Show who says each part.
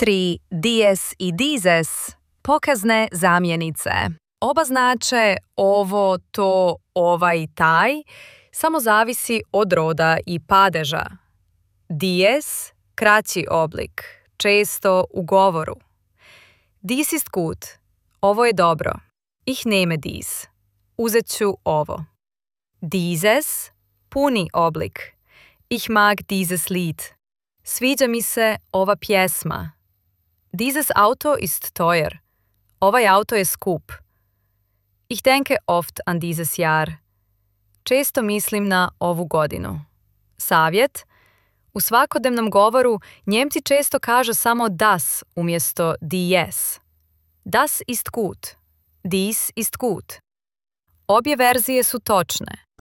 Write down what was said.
Speaker 1: tri dies i dieses pokazne zamjenice. Oba znače ovo, to, ovaj, taj, samo zavisi od roda i padeža. Dies, kraći oblik, često u govoru. Dies ist gut, ovo je dobro. Ich nehme dies, uzet ću ovo. Dieses, puni oblik. Ich mag dieses Lied. Sviđa mi se ova pjesma. Dieses Auto ist teuer. Ovaj auto je skup. Ich denke oft an dieses Jahr. Često mislim na ovu godinu. Savjet. U svakodnevnom govoru Njemci često kažu samo das umjesto dies. Das ist gut. Dies ist gut. Obje verzije su točne.